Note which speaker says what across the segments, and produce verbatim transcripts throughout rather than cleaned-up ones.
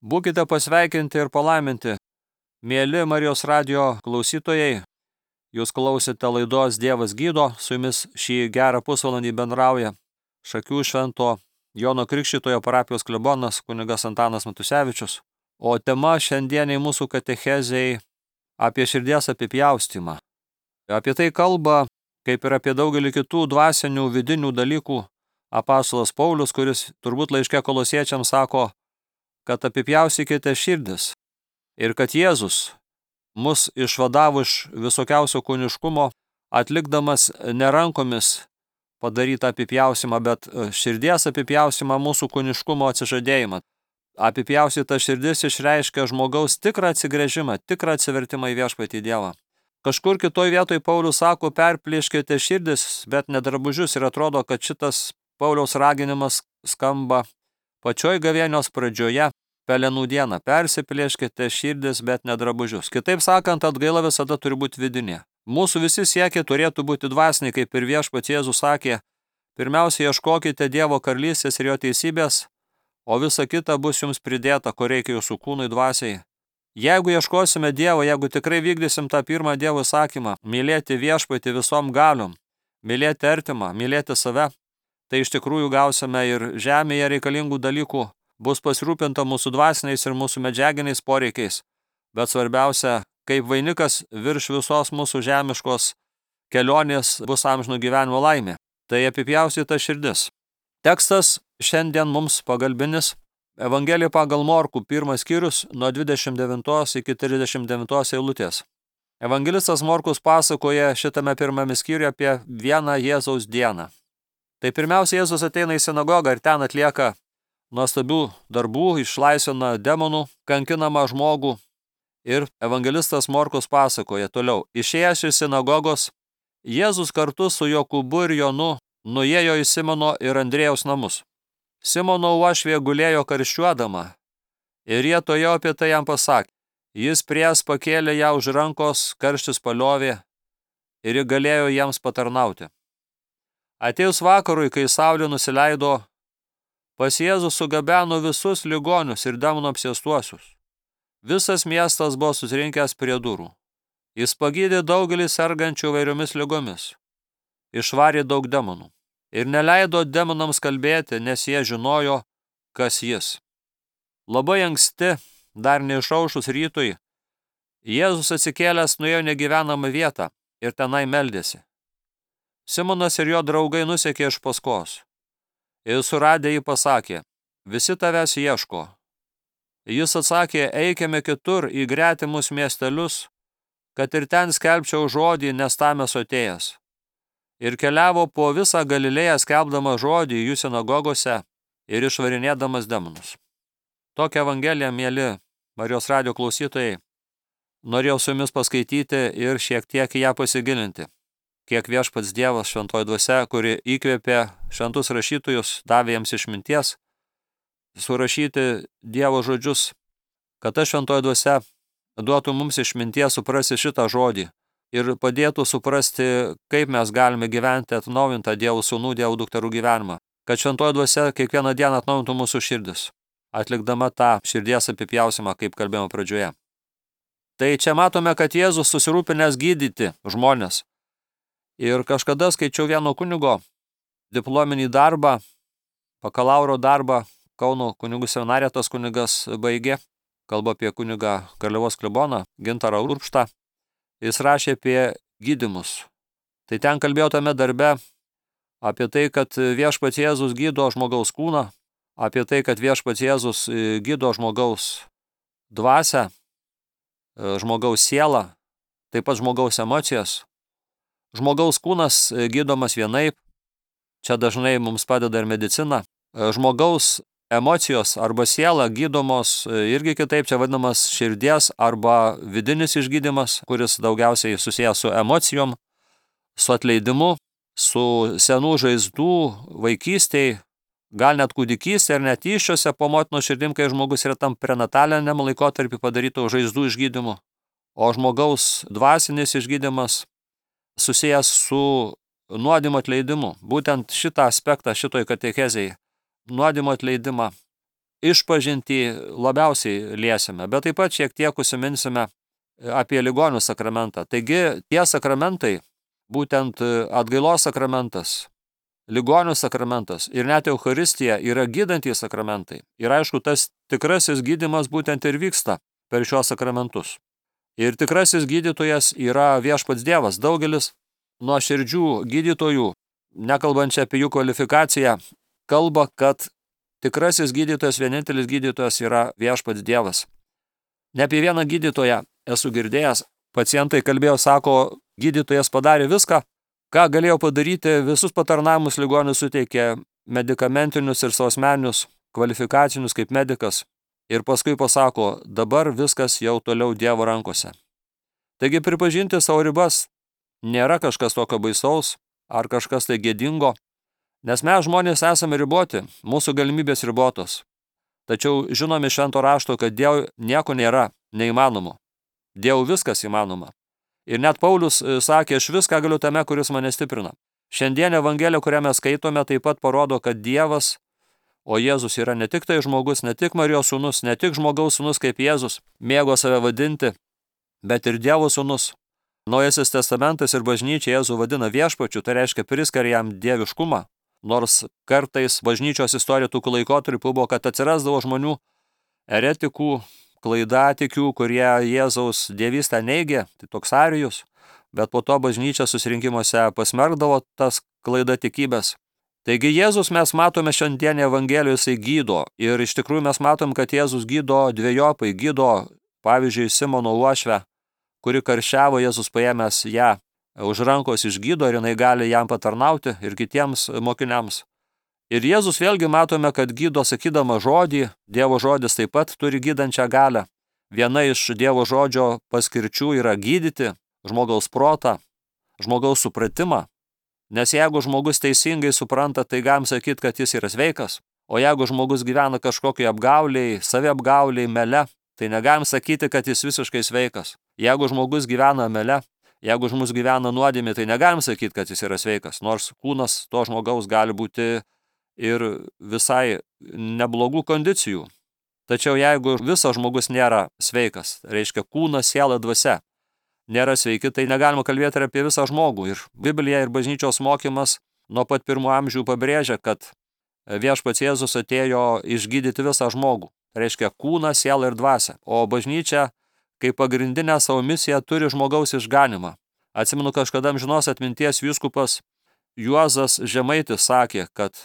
Speaker 1: Būkite pasveikinti ir palaiminti, mėly Marijos radijo klausytojai. Jūs klausite laidos Dievas gydo, su jumis šį gerą pusvalandį bendrauja Šakių švento Jono Krikštytojo parapijos klebonas kunigas Antanas Matusevičius. O tema šiandieniai mūsų katechezei apie širdies apipjaustymą. Apie tai kalba, kaip ir apie daugelį kitų dvasinių vidinių dalykų, apaštalas Paulius, kuris turbūt laiške Kolosiečiams sako, kad apipjaustykite širdis ir kad Jėzus mus išvadavo iš visokiausio kūniškumo, atlikdamas ne rankomis padarytą apipjaustymą, bet širdies apipjaustymą, mūsų kūniškumo atsižadėjimą. Apipjaustyta širdis išreiškia žmogaus tikrą atsigręžimą, tikrą atsivertimą į viešpatį Dievą. Kažkur kitoj vietoj Paulius sako, perplėškite širdis, bet ne drabužius, ir atrodo, kad šitas Pauliaus raginimas skamba pačioj gavėnios pradžioje, pelenų dieną. Persiplėškite širdis, bet ne drabužius. Kitaip sakant, atgaila visada turi būti vidinė. Mūsų visi siekiai turėtų būti dvasiniai, kaip ir viešpats Jėzus sakė, pirmiausia ieškokite Dievo karalystės ir jo teisybės, o visa kita bus jums pridėta, ko reikia jūsų kūnui dvasiai. Jeigu ieškosime Dievo, jeigu tikrai vykdysim tą pirmą Dievo įsakymą, mylėti viešpatį visom galiom, mylėti artimą, mylėti save, tai iš tikrųjų gausime ir žemėje reikalingų dalykų, bus pasirūpinta mūsų dvasiniais ir mūsų medžiaginiais poreikiais, bet svarbiausia, kaip vainikas virš visos mūsų žemiškos kelionės bus amžino gyvenimo laimė. Tai apipjaustyta širdis. Tekstas šiandien mums pagalbinis. Evangelija pagal Morkų, pirmas skyrius, nuo dvidešimt devintos iki trisdešimt devintos eilutės. Evangelistas Morkus pasakoja šitame pirmame skyriuje apie vieną Jėzaus dieną. Tai pirmiausia, Jėzus ateina į sinagogą ir ten atlieka nuostabių darbų, išlaisvina demonų, kankinamą žmogų. Ir evangelistas Morkus pasakoja toliau. Išėjęs iš sinagogos, Jėzus kartu su Jokūbu ir Jonu nuėjo į Simono ir Andriejaus namus. Simono uošvė gulėjo karščiuodama ir jie tojo apie tai jam pasakė. Jis pries pakėlė ją už rankos, karštis paliovė ir ji galėjo jiems patarnauti. Atėjus vakarui, kai saulė nusileido, pas Jėzų sugabeno visus ligonius ir demonų apsėstuosius. Visas miestas buvo susirinkęs prie durų. Jis pagydė daugelį sergančių vairiomis ligomis. Išvarė daug demonų. Ir neleido demonams kalbėti, nes jie žinojo, kas jis. Labai anksti, dar neišaušus rytui, Jėzus atsikėlęs nuėjo negyvenamą vietą ir tenai meldėsi. Simonas ir jo draugai nusekė iš paskos. Ir suradę jį pasakė, visi tavęs ieško. Jis atsakė, eikime kitur į gretimus miestelius, kad ir ten skelbčiau žodį, nes tam esu atėjęs. Ir keliavo po visą Galilėją skelbdama žodį jų sinagogose ir išvarinėdamas demonus. Tokią evangeliją, mėly Marijos radijo klausytojai, norėjau su jumis paskaityti ir šiek tiek į ją pasigilinti. Kiek viešpats Dievas šventoji dvasia, kuri įkvėpė šventus rašytojus, davė jiems išminties, surašyti Dievo žodžius, kad ta šventoji dvasia duotų mums išminties suprasti šitą žodį ir padėtų suprasti, kaip mes galime gyventi atnaujintą Dievo sūnų, Dievo dukterų gyvenimą. Kad šventoji dvasia kiekvieną dieną atnaujintų mūsų širdis, atlikdama tą širdies apipjausimą, kaip kalbėjome pradžioje. Tai čia matome, kad Jėzus susirūpinęs gydyti žmonės. Ir kažkada skaičiau vieno kunigo diplominį darbą, bakalauro darbą, Kauno kunigų seminariją tas kunigas baigė, kalba apie kunigą Garliavos kleboną, Gintarą Urbštą. Jis rašė apie gydymus. Tai ten kalbėjo tame darbe apie tai, kad viešpats Jėzus gydo žmogaus kūną, apie tai, kad viešpats Jėzus gydo žmogaus dvasią, žmogaus sielą, taip pat žmogaus emocijas. Žmogaus kūnas gydomas vienaip, čia dažnai mums padeda ir medicina. Žmogaus emocijos arba siela gydomos irgi kitaip, čia vadinamas širdies arba vidinis išgydymas, kuris daugiausiai susijęs su emocijom, su atleidimu, su senų žaizdų vaikystėj, gal net kūdikystėj ar net įsčiose po motinos širdim, kai žmogus yra tam prenataliniam laikotarpį padarytų žaizdų išgydymu. O žmogaus dvasinis išgydymas susijęs su nuodėmio atleidimu. Būtent šitą aspektą šitoj katechezėj, nuodėmio atleidimą, išpažintį labiausiai liesime, bet taip pat šiek tiek užsiminsime apie ligonių sakramentą. Taigi tie sakramentai, būtent atgailos sakramentas, ligonių sakramentas ir net Eucharistija yra gydantys sakramentai. Ir aišku, tas tikrasis gydymas būtent ir vyksta per šios sakramentus. Ir tikrasis gydytojas yra viešpats Dievas. Daugelis nuoširdžių gydytojų, nekalbančia apie jų kvalifikaciją, kalba, kad tikrasis gydytojas, vienintelis gydytojas yra viešpats Dievas. Ne apie vieną gydytoją esu girdėjęs. Pacientai kalbėjo, sako, gydytojas padarė viską, ką galėjo padaryti, visus patarnavimus ligonių suteikė, medikamentinius ir savo asmeninius kvalifikacinius kaip medikas. Ir paskui pasako, dabar viskas jau toliau Dievo rankose. Taigi pripažinti savo ribas nėra kažkas tokio baisaus ar kažkas tai gėdingo, nes mes žmonės esame riboti, mūsų galimybės ribotos. Tačiau žinome iš švento rašto, kad Dievui nieko nėra neįmanomo. Dievui viskas įmanoma. Ir net Paulius sakė, aš viską galiu tame, kuris mane stiprina. Šiandien Evangelija, kurią mes skaitome, taip pat parodo, kad Dievas, o Jėzus yra ne tik tai žmogus, ne tik Marijos sūnus, ne tik žmogaus sūnus kaip Jėzus, mėgo save vadinti, bet ir Dievo sūnus. Naujasis testamentas ir bažnyčia Jėzų vadina viešpačiu, tai reiškia priskiria jam dieviškumą. Nors kartais bažnyčios istorija tų laikotarpių buvo, kad atsirasdavo žmonių eretikų, klaidatikių, kurie Jėzaus dievystę neigė, tai toks Arijus, bet po to bažnyčia susirinkimuose pasmerkdavo tas klaidatikybės. Taigi Jėzus mes matome šiandienį Evangelijoje, jisai gydo. Ir iš tikrųjų mes matom, kad Jėzus gydo dviejopai, gydo, pavyzdžiui, Simono uošvę, kuri karščiavo, Jėzus paėmęs ją už rankos išgydo ir jinai gali jam patarnauti ir kitiems mokiniams. Ir Jėzus vėlgi matome, kad gydo sakydama žodį, Dievo žodis taip pat turi gydančią galią. Viena iš Dievo žodžio paskirčių yra gydyti žmogaus protą, žmogaus supratimą. Nes jeigu žmogus teisingai supranta, tai galim sakyti, kad jis yra sveikas. O jeigu žmogus gyvena kažkokiai apgauliai, saviapgauliai, mele, tai negalim sakyti, kad jis visiškai sveikas. Jeigu žmogus gyvena mele, jeigu žmogus gyvena nuodėmė, tai negalim sakyti, kad jis yra sveikas. Nors kūnas to žmogaus gali būti ir visai neblogų kondicijų. Tačiau jeigu visas žmogus nėra sveikas, reiškia kūnas, siela, dvasia, nėra sveiki, tai negalima kalbėti ir apie visą žmogų. Ir Biblija ir bažnyčios mokymas nuo pat pirmų amžių pabrėžia, kad viešpats Jėzus atėjo išgydyti visą žmogų. Reiškia kūną, sielą ir dvasią. O bažnyčia, kaip pagrindinę savo misiją, turi žmogaus išganimą. Atsimenu, kažkada amžinos atminties vyskupas Juozas Žemaitis sakė, kad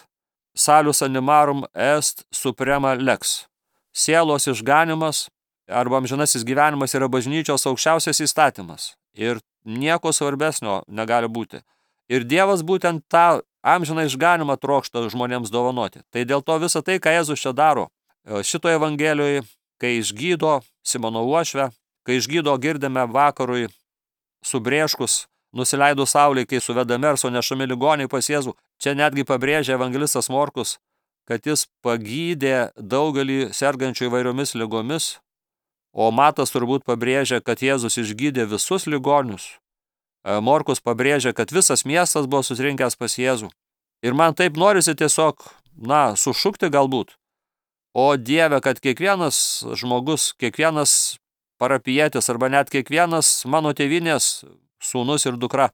Speaker 1: salus animarum est suprema lex. Sielos išganimas arba amžinasis gyvenimas yra bažnyčios aukščiausias įstatymas. Ir nieko svarbesnio negali būti. Ir Dievas būtent tą amžiną išganimą trokšta žmonėms dovanoti. Tai dėl to visą tai, ką Jėzus čia daro, šitoje Evangelijoje, kai išgydo Simono uošvę, kai išgydo girdime vakarui subrėškus, nusileido saulei, kai suvedami ar sunešami ligoniai pas Jėzų. Čia netgi pabrėžia evangelistas Morkus, kad jis pagydė daugelį sergančių įvairiomis ligomis, o Matas turbūt pabrėžia, kad Jėzus išgydė visus ligonius. Morkus pabrėžia, kad visas miestas buvo susirinkęs pas Jėzų. Ir man taip norisi tiesiog, na, sušukti galbūt. O Dieve, kad kiekvienas žmogus, kiekvienas parapijietis arba net kiekvienas mano tėvynės sūnus ir dukra,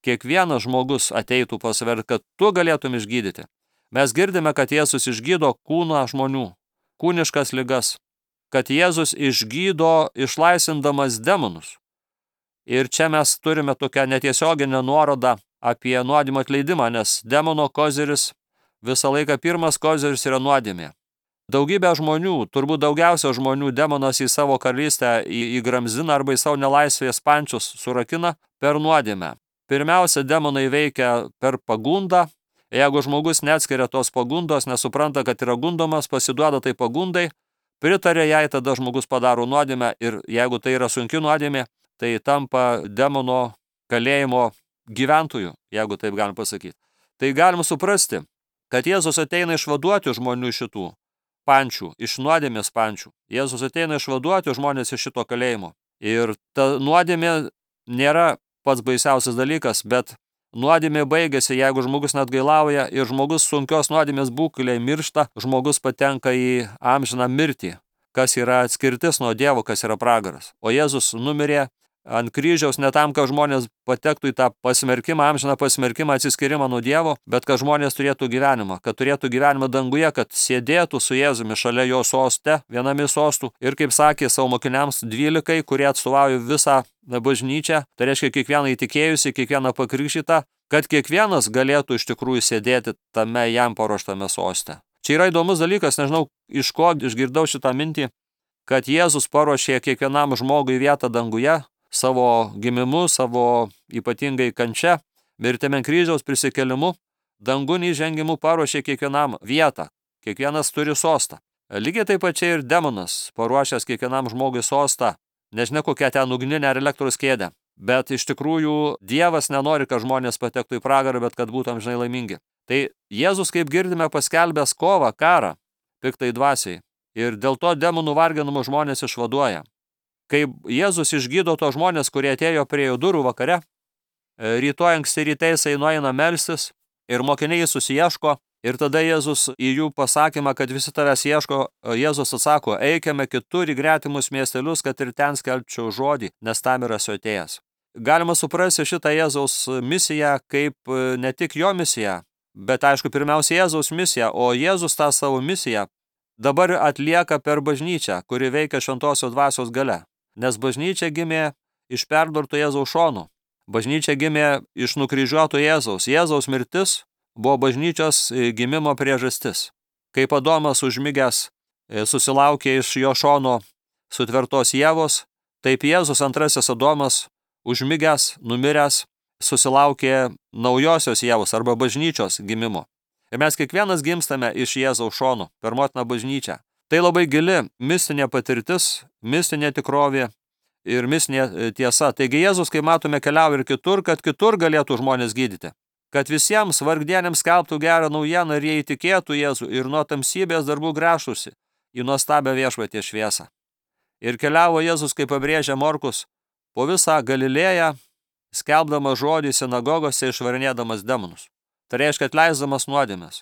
Speaker 1: kiekvienas žmogus ateitų pas save, kad tu galėtum išgydyti. Mes girdime, kad Jėzus išgydo kūną žmonių, kūniškas ligas, kad Jėzus išgydo išlaisindamas demonus. Ir čia mes turime tokią netiesioginę nuorodą apie nuodėmio atleidimą, nes demono koziris, visą laiką pirmas koziris yra nuodėmė. Daugybė žmonių, turbūt daugiausia žmonių demonas į savo karalystę įgramzina arba į savo nelaisvės pančius surakina per nuodėmę. Pirmiausia, demonai veikia per pagundą. Jeigu žmogus neatskiria tos pagundos, nesupranta, kad yra gundomas, pasiduoda tai pagundai, pritarė jai, tada žmogus padaro nuodėmę ir jeigu tai yra sunki nuodėmė, tai tampa demono kalėjimo gyventojų, jeigu taip galim pasakyti. Tai galim suprasti, kad Jėzus ateina išvaduoti žmonių šitų pančių, iš nuodėmės pančių. Jėzus ateina išvaduoti žmonės iš šito kalėjimo. Ir ta nuodėmė nėra pats baisiausias dalykas, bet nuodėmė baigėsi, jeigu žmogus neatgailauja ir žmogus sunkios nuodėmės būklėje miršta, žmogus patenka į amžiną mirtį, kas yra atskirtis nuo Dievo, kas yra pragaras. O Jėzus numirė ant kryžiaus ne tam, kad žmonės patektų į tą pasmerkimą, amžiną pasmerkimą, atsiskyrimą nuo Dievo, bet kad žmonės turėtų gyvenimą, kad turėtų gyvenimą danguje, kad sėdėtų su Jėzumi šalia jo soste, viename sostų ir, kaip sakė savo mokiniams dvylikai, kurie atstovauja visą bažnyčią, tai reiškia kiekvieną įtikėjusi, kiekvieną pakrikštytą, kad kiekvienas galėtų iš tikrųjų sėdėti tame jam paruoštame soste. Čia yra įdomus dalykas, nežinau, iš ko išgirdau šitą mintį, kad Jėzus paruošė kiekvienam žmogui vietą danguje, savo gimimu, savo ypatingai kančia, mirtimi ant kryžiaus prisikėlimu, dangun įžengimu paruošė kiekvienam vietą, kiekvienas turi sostą. Lygiai taip pačiai ir demonas paruošęs kiekvienam žmogui sostą, nežinia kokią ten ugninę ar elektros kėdę, bet iš tikrųjų Dievas nenori, kad žmonės patektų į pragarą, bet kad būtų amžinai laimingi. Tai Jėzus, kaip girdime, paskelbęs kovą, karą, piktai dvasiai, ir dėl to demonų varginamų žmonės išvaduoja. Kai Jėzus išgydo to žmonės, kurie atėjo prie jo durų vakare, rytoj anksti ryte jisai nueina melstis ir mokiniai susiieško ir tada Jėzus į jų pasakymą, kad visi tavęs ieško, Jėzus atsako, eikime kitur į gretimus miestelius, kad ir ten skelbčiau žodį, nes tam yra esu atėjęs. Galima suprasti šitą Jėzaus misiją kaip ne tik jo misiją, bet aišku pirmiausia Jėzaus misiją, o Jėzus tą savo misiją dabar atlieka per bažnyčią, kuri veikia šventosios dvasios gale. Nes bažnyčia gimė iš perdurto Jėzaus šonų. Bažnyčia gimė iš nukryžiuoto Jėzaus. Jėzaus mirtis buvo bažnyčios gimimo priežastis. Kaip Adomas užmigęs susilaukė iš jo šono sutvertos Ievos, taip Jėzus antrasis Adomas užmigęs, numiręs, susilaukė naujosios Ievos arba bažnyčios gimimo. Ir mes kiekvienas gimstame iš Jėzaus šonų per motiną bažnyčią. Tai labai gili mistinė patirtis, mistinė tikrovė ir mistinė tiesa. Taigi Jėzus, kai matome, keliauja ir kitur, kad kitur galėtų žmonės gydyti. Kad visiems vargdieniams skelbtų gerą naujieną ir jie įtikėtų Jėzų ir nuo tamsybės darbų grąžtųsi į nuostabią viešpaties šviesą. Ir keliavo Jėzus, kaip pabrėžia Morkus, po visą Galilėją, skelbdamas žodį sinagogose išvarinėdamas demonus. Tai reiškia atleisdamas nuodėmes.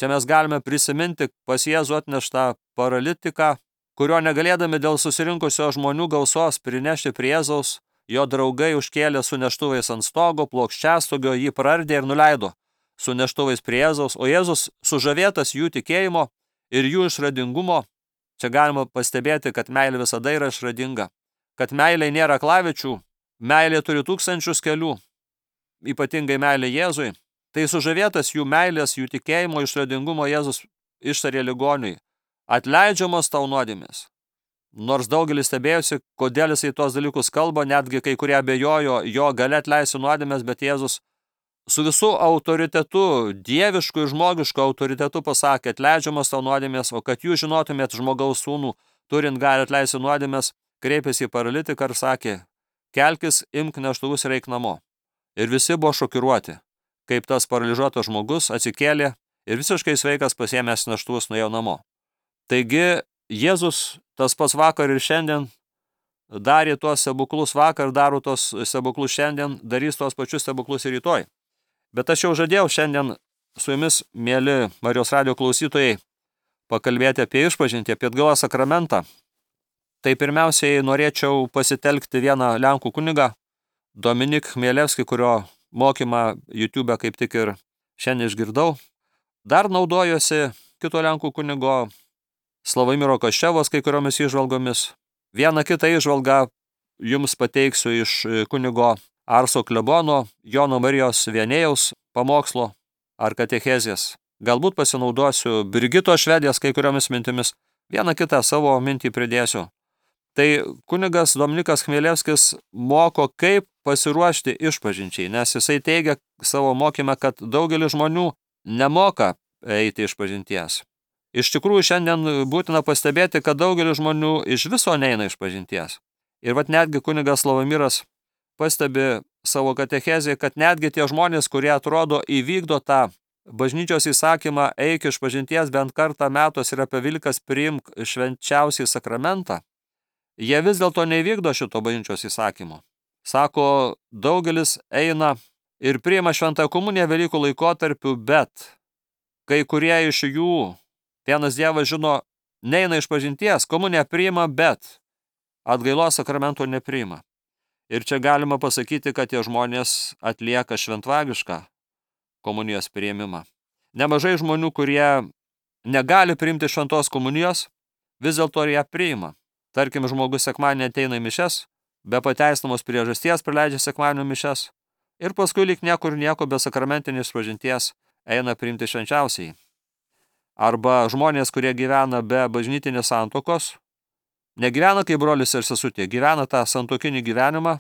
Speaker 1: Čia mes galime prisiminti pas Jėzų atneštą paralitiką, kurio negalėdami dėl susirinkusio žmonių gausos prinešti prie Jėzaus, jo draugai užkėlė su neštuvais ant stogo, plokščiastogio, jį prardė ir nuleido su neštuvais prie Jėzaus, o Jėzus sužavėtas jų tikėjimo ir jų išradingumo, čia galima pastebėti, kad meilė visada yra išradinga, kad meilė nėra klavičių, meilė turi tūkstančius kelių, ypatingai meilė Jėzui. Tai sužavėtas jų meilės, jų tikėjimo, išradingumo Jėzus ištarė ligoniui, atleidžiamos tau nuodėmės. Nors daugelis stebėjosi, kodėl jisai tuos dalykus kalba, netgi kai kurie abejojo jo gali atleisti nuodėmės, bet Jėzus su visų autoritetu, dievišku ir žmogišku autoritetu pasakė, atleidžiamos tau nuodėmės, o kad jūs žinotumėt žmogaus sūnų, turint gali atleisti nuodėmės, kreipėsi į paralitiką ir sakė, kelkis, imk neštuvus ir eik namo. Ir visi buvo šokiruoti, kaip tas paralyžiuotas žmogus atsikėlė ir visiškai sveikas pasiėmęs neštuvus nuėjo namo. Taigi Jėzus tas pats vakar ir šiandien darė tuos stebuklus vakar, daro tuos stebuklus šiandien, darys tuos pačius stebuklus ir rytoj. Bet aš jau žadėjau šiandien su jumis, mėly Marijos radijo klausytojai, pakalbėti apie išpažintį, apie atgailos sakramentą. Tai pirmiausiai norėčiau pasitelkti vieną lenkų kunigą, Dominik Chmielevskį, kurio mokymą YouTube kaip tik ir šiandien išgirdau. Dar naudojosi kito lenkų kunigo Slavomiro Koščevos kai kuriomis įžvalgomis. Vieną kitą įžvalgą jums pateiksiu iš kunigo Arso klebono Jono Marijos Vienėjaus pamokslo ar katechezės. Galbūt pasinaudosiu Brigito Švedės kai kuriomis mintimis. Vieną kitą savo mintį pridėsiu. Tai kunigas Dominikas Chmielevskis moko, kaip pasiruošti išpažinčiai, nes jisai teigia savo mokyme, kad daugelis žmonių nemoka eiti išpažinties. Iš tikrųjų, šiandien būtina pastebėti, kad daugelis žmonių iš viso neina išpažinties. Ir vat netgi kunigas Slavomiras pastebi savo katechezėje, kad netgi tie žmonės, kurie atrodo įvykdo tą bažnyčios įsakymą, eik išpažinties bent kartą metuos ir apie Velykas priimk švenčiausiai sakramentą, jie vis dėlto neįvykdo šito bažnyčios įsakymo. Sako, daugelis eina ir priima šventąją komuniją Velykų laikotarpiu, bet kai kurie iš jų, vienas Dievas žino, neina iš pažinties, komuniją priima, bet atgailos sakramento nepriima. Ir čia galima pasakyti, kad tie žmonės atlieka šventvagišką komunijos priėmimą. Nemažai žmonių, kurie negali priimti šventos komunijos, vis dėlto ją priima. Tarkim, žmogus sekmadienį ateina į mišes, be pateisinamos priežasties praleidžia sekmadienio mišes ir paskui lyg niekur nieko be sakramentinės pažinties eina priimti švenčiausiai. Arba žmonės, kurie gyvena be bažnytinės santuokos, negyvena kaip brolis ir sesutė, gyvena tą santuokinį gyvenimą,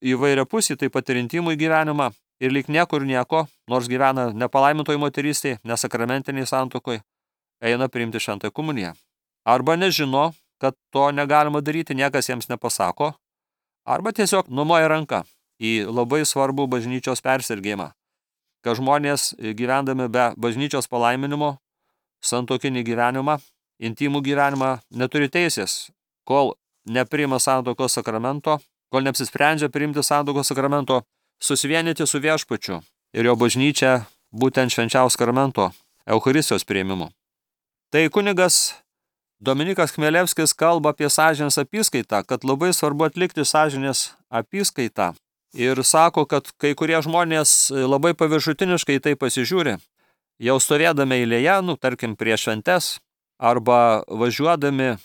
Speaker 1: įvairiapusį, taip pat ir intimų gyvenimą, ir lyg niekur nieko, nors gyvena nepalaimintoj moterystėje, nesakramentiniai santuokoj, eina priimti šventąją komuniją. Arba nežino, kad to negalima daryti, niekas jiems nepasako, arba tiesiog numoja ranką į labai svarbų bažnyčios persergėjimą, kad žmonės gyvendami be bažnyčios palaiminimo, santuokinį gyvenimą, intimų gyvenimą neturi teisės, kol nepriima santuokos sakramento, kol neapsisprendžia priimti santuokos sakramento, susivienyti su viešpačiu ir jo bažnyčia būtent švenčiaus sakramento Eucharistijos priėmimu. Tai kunigas Dominikas Chmelevskis kalba apie sąžinės apyskaitą, kad labai svarbu atlikti sąžinės apyskaitą. Ir sako, kad kai kurie žmonės labai paviršutiniškai tai pasižiūri, jau stovėdami eilėje, nu, tarkim, prie šventes, arba važiuodami,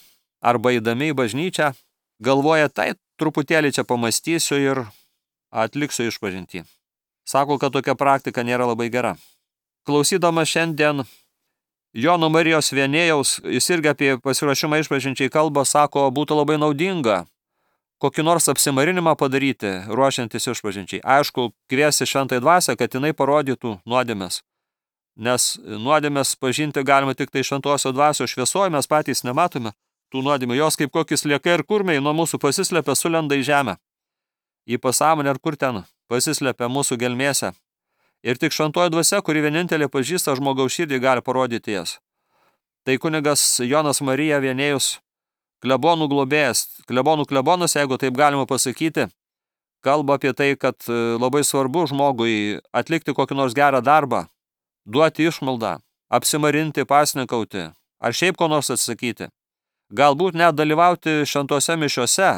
Speaker 1: arba eidami į bažnyčią, galvoja, tai truputėlį čia pamastysiu ir atliksiu išpažintį. Sako, kad tokia praktika nėra labai gera. Klausydama šiandien Jono Marijos Vienėjaus, jis irgi apie pasiruošimą išpažinčiai kalbą, sako, būtų labai naudinga kokį nors apsimarinimą padaryti, ruošiantis išpažinčiai. Aišku, kviesti šventąją dvasią, kad jinai parodytų nuodėmes. Nes nuodėmes pažinti galima tik tai šventosios dvasios šviesoje, mes patys nematome tų nuodėmių. Jos kaip kokis sliekai ir kurmiai nuo mūsų pasislepia, sulenda į žemę. Į pasąmonę ar kur ten pasislepia mūsų gelmėse. Ir tik šventoji dvasia, kuri vienintelė pažįsta žmogaus širdį, gali parodyti jas. Tai kunigas Jonas Marija Vienėjus, klebonų globėjas, klebonų klebonas, jeigu taip galima pasakyti, kalba apie tai, kad labai svarbu žmogui atlikti kokį nors gerą darbą, duoti išmaldą, apsimarinti, pasninkauti, ar šiaip ko nors atsakyti. Galbūt net dalyvauti šventose mišiose,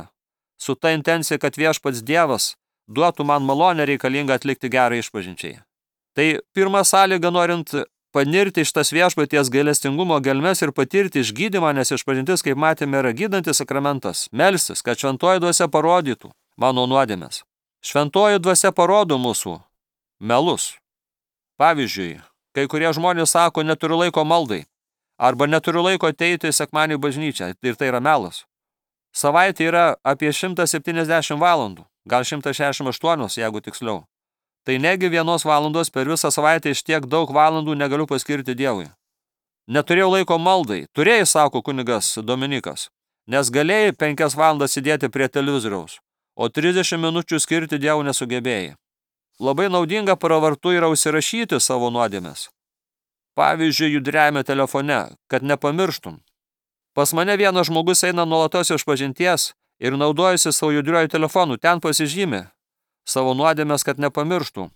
Speaker 1: su ta intencija, kad viešpats Dievas duotų man malonę reikalingą atlikti gerą išpažinčiai. Tai pirma sąlyga, norint panirti iš tas viešpaties gailestingumo gelmes ir patirti išgydymą, nes išpažintis, kaip matėme, yra gydantis sakramentas, melstis, kad šventoji dvasia parodytų mano nuodėmes. Šventoji dvasia parodo mūsų melus. Pavyzdžiui, kai kurie žmonės sako, neturiu laiko maldai, arba neturiu laiko ateiti į sekmadienį bažnyčią, ir tai yra melas. Savaitė yra apie šimtas septyniasdešimt valandų, gal šimtas šešiasdešimt aštuonios, jeigu tiksliau. Tai negi vienos valandos per visą savaitę iš tiek daug valandų negaliu paskirti Dievui. Neturėjau laiko maldai, turėjai, sako kunigas Dominikas, nes galėjai penkias valandas sėdėti prie televizoriaus, o trisdešimt minučių skirti Dievui nesugebėjai. Labai naudinga pravartu yra užsirašyti savo nuodėmes. Pavyzdžiui, judriajame telefone, kad nepamirštum. Pas mane vienas žmogus eina nuolatos išpažinties ir naudojasi savo judriuoju telefonu, ten pasižymi savo nuodėmes, kad nepamirštų.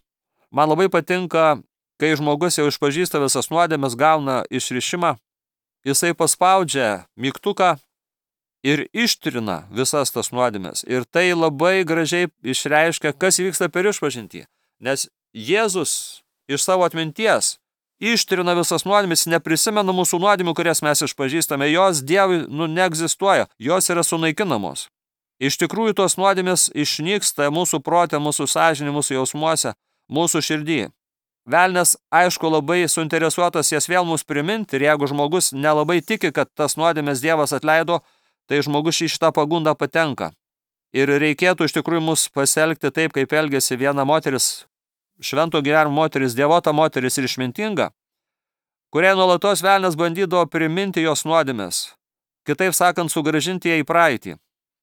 Speaker 1: Man labai patinka, kai žmogus jau išpažįsta visas nuodėmes, gauna išrišimą, jisai paspaudžia mygtuką ir ištrina visas tas nuodėmes. Ir tai labai gražiai išreiškia, kas vyksta per išpažintį. Nes Jėzus iš savo atminties ištrina visas nuodėmes, neprisimena mūsų nuodėmių, kurias mes išpažįstame. Jos Dievui nu, neegzistuoja, jos yra sunaikinamos. Iš tikrųjų, tos nuodėmės išnyksta mūsų prote, mūsų sąžinė, mūsų jausmuose, mūsų širdį. Velnias, aišku, labai suinteresuotas jas vėl mums priminti, ir jeigu žmogus nelabai tiki, kad tas nuodėmės Dievas atleido, tai žmogus į šitą pagundą patenka. Ir reikėtų iš tikrųjų mus pasielgti taip, kaip elgėsi viena moteris, švento gyvenimo moteris, dievota moteris ir išmintinga, kuriai nuolatos velnias bandydavo priminti jos nuodėmės, kitaip sakant, sugrąžinti ją į praeitį,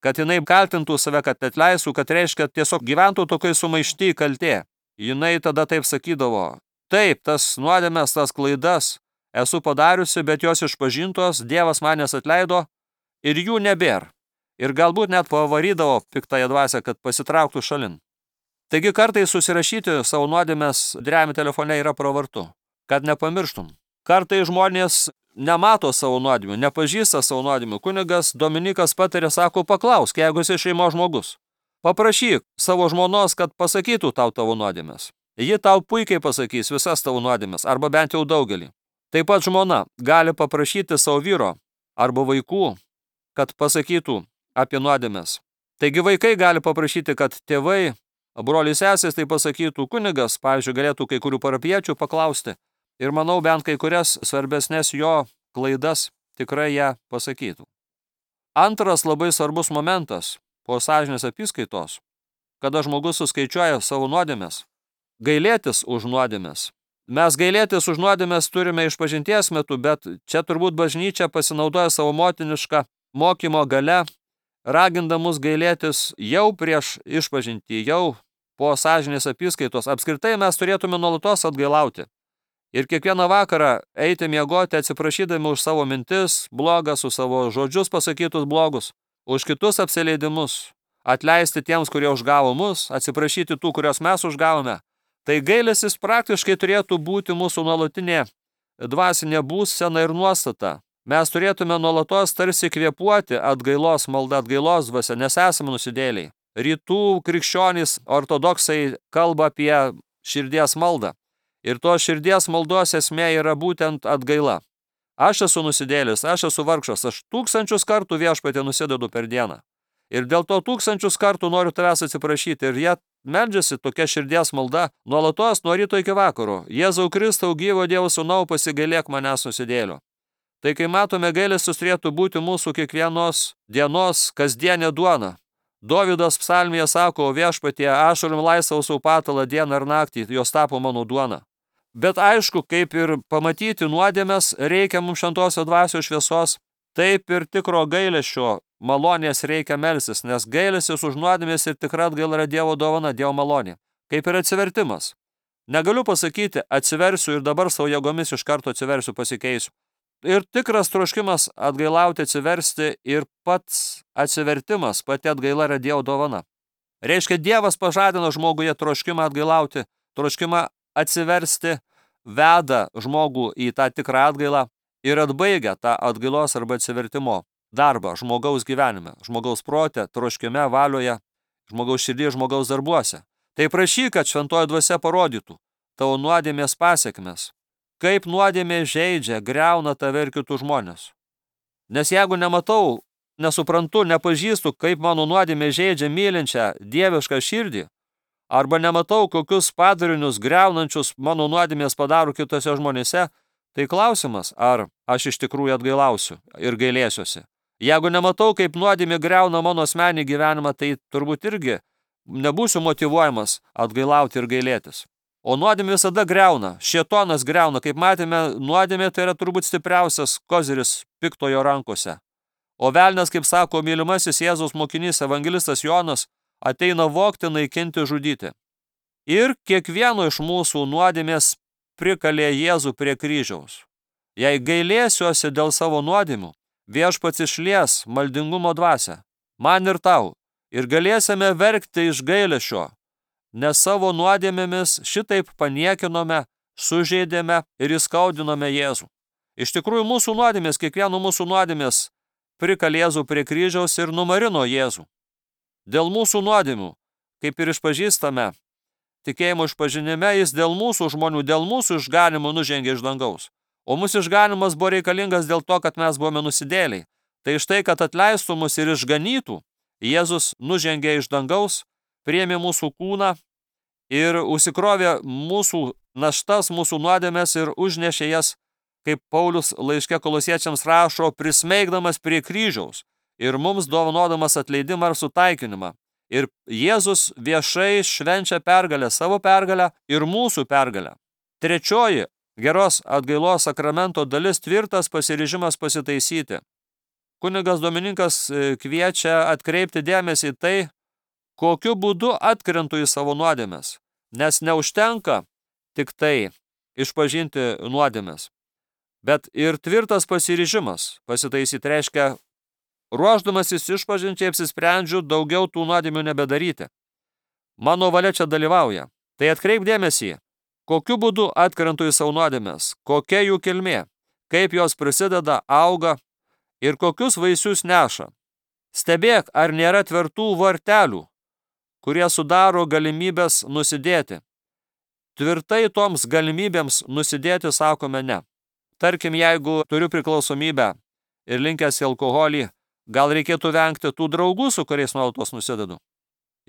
Speaker 1: kad jinai kaltintų save, kad atleistų, kad reiškia tiesiog gyventų tokiai sumaišty kaltė. Jinai tada taip sakydavo, taip, tas nuodėmės, tas klaidas esu padariusi, bet jos išpažintos, Dievas manęs atleido ir jų nebėr. Ir galbūt net pavarydavo piktąją dvasią, kad pasitrauktų šalin. Taigi kartais susirašyti savo nuodėmes drevimi telefone yra pravartu, kad nepamirštum. Kartais žmonės nemato savo nuodėmių, nepažįsta savo nuodėmių. Kunigas Dominikas patarė, sako, paklausk, jeigu esi šeimos žmogus. Paprašyk savo žmonos, kad pasakytų tau tavo nuodėmes. Ji tau puikiai pasakys visas tavo nuodėmes, arba bent jau daugelį. Taip pat žmona gali paprašyti savo vyro arba vaikų, kad pasakytų apie nuodėmes. Taigi vaikai gali paprašyti, kad tėvai, broliai sesės tai pasakytų. Kunigas, pavyzdžiui, galėtų kai kurių parapiečių paklausti ir manau bent kai kurias svarbesnės jo klaidas tikrai ją pasakytų. Antras labai svarbus momentas po sąžinės apyskaitos, kada žmogus suskaičiuoja savo nuodėmes, gailėtis už nuodėmes. Mes gailėtis už nuodėmes turime išpažinties metu, bet čia turbūt bažnyčia pasinaudoja savo motinišką mokymo gale, ragindamus gailėtis jau prieš išpažintį, jau po sąžinės apyskaitos. Apskritai mes turėtume nuolatos atgailauti. Ir kiekvieną vakarą eiti miegoti atsiprašydami už savo mintis blogas, už savo žodžius pasakytus blogus, už kitus apsileidimus, atleisti tiems, kurie užgavo mus, atsiprašyti tų, kurios mes užgavome. Tai gailestis praktiškai turėtų būti mūsų nuolatinė dvasinė būsena ir nuostata. Mes turėtume nuolatos tarsi kvėpuoti atgailos malda, atgailos dvasia, nes esame nusidėliai. Rytų krikščionys ortodoksai kalba apie širdies maldą. Ir to širdies maldos esmė yra būtent atgaila. Aš esu nusidėlis, aš esu vargšas, aš tūkstančius kartų viešpatie nusidedu per dieną. Ir dėl to tūkstančius kartų noriu tavęs atsiprašyti. Ir jie meldžiasi tokia širdies malda nuolatos nuo ryto iki vakaro. Jėzau Kristau, gyvo Dievo Sūnau, pasigailėk manęs nusidėlio. Tai kai matome, gailestis turėtų būti mūsų kiekvienos dienos kasdienė duona. Dovydas psalmėje sako, viešpatie, ašarom laisvau savo patalą dieną ir naktį, jos tapo mano duona. Bet aišku, kaip ir pamatyti nuodėmes, reikia mums šventosios dvasios šviesos, taip ir tikro gailesčio malonės reikia melstis, nes gailestis už nuodėmes ir tikra atgaila yra Dievo dovana, Dievo malonė. Kaip ir atsivertimas. Negaliu pasakyti, atsiversiu ir dabar savo jėgomis iš karto atsiversiu, pasikeisiu. Ir tikras troškimas atgailauti, atsiversti ir pats atsivertimas, pati atgaila yra Dievo dovana. Reiškia, Dievas pažadino žmoguje troškimą atgailauti, troškimą atsiversti, veda žmogų į tą tikrą atgailą ir atbaigia tą atgailos arba atsivertimo darbą žmogaus gyvenime, žmogaus prote, troškime, valioje, žmogaus širdį, žmogaus darbuose. Tai prašyk, kad šventoji dvasia parodytų tavo nuodėmės pasiekmes, kaip nuodėmė žeidžia, griauna tave ir kitus žmonės. Nes jeigu nematau, nesuprantu, nepažįstu, kaip mano nuodėmė žeidžia mylinčią dievišką širdį, arba nematau, kokius padarinius griaunančius mano nuodėmės padaro kitose žmonėse, tai klausimas, ar aš iš tikrųjų atgailausiu ir gailėsiuosi. Jeigu nematau, kaip nuodėmė griauna mano asmenį gyvenimą, tai turbūt irgi nebūsiu motyvuojamas atgailauti ir gailėtis. O nuodėmė visada griauna, šėtonas griauna. Kaip matėme, nuodėmė tai yra turbūt stipriausias koziris piktojo rankose. O velnias, kaip sako mylimasis Jėzaus mokinys evangelistas Jonas, ateina vogti, naikinti, žudyti. Ir kiekvieno iš mūsų nuodėmės prikalė Jėzų prie kryžiaus. Jei gailėsiuosi dėl savo nuodėmių, viešpats išlies maldingumo dvasią, man ir tau, ir galėsime verkti iš gailesčio, nes savo nuodėmėmis šitaip paniekinome, sužeidėme ir įskaudinome Jėzų. Iš tikrųjų, mūsų nuodėmės, kiekvieno mūsų nuodėmės prikalė Jėzų prie kryžiaus ir numarino Jėzų. Dėl mūsų nuodėmių, kaip ir išpažįstame, tikėjimo išpažinime, jis dėl mūsų žmonių, dėl mūsų išganimo nužengė iš dangaus. O mūsų išganimas buvo reikalingas dėl to, kad mes buvome nusidėliai. Tai štai, kad atleistų mus ir išganytų, Jėzus nužengė iš dangaus, priėmė mūsų kūną ir užsikrovė mūsų naštas, mūsų nuodėmes ir užnešė jas, kaip Paulius laiške Kolosiečiams rašo, prismeigdamas prie kryžiaus ir mums dovanodamas atleidimą ir sutaikinimą. Ir Jėzus viešai švenčia pergalę, savo pergalę ir mūsų pergalę. Trečioji geros atgailos sakramento dalis tvirtas pasiryžimas pasitaisyti. Kunigas Dominikas kviečia atkreipti dėmesį į tai, kokiu būdu atkrentu į savo nuodėmes, nes neužtenka tik tai išpažinti nuodėmes, bet ir tvirtas pasiryžimas pasitaisyti reiškia, ruošdamasis išpažinčiai apsisprendžiu daugiau tų nuodėmių nebedaryti. Mano valia čia dalyvauja. Tai atkreip dėmesį, kokiu būdu atkrentu į savo nuodėmes, kokia jų kilmė, kaip jos prisideda, auga ir kokius vaisius neša. Stebėk, ar nėra tvirtų vartelių, kurie sudaro galimybės nusidėti. Tvirtai toms galimybėms nusidėti sakome ne. Tarkim, jeigu turiu priklausomybę ir linkęs į alkoholį, gal reikėtų vengti tų draugų, su kuriais nuolatos nusidedu.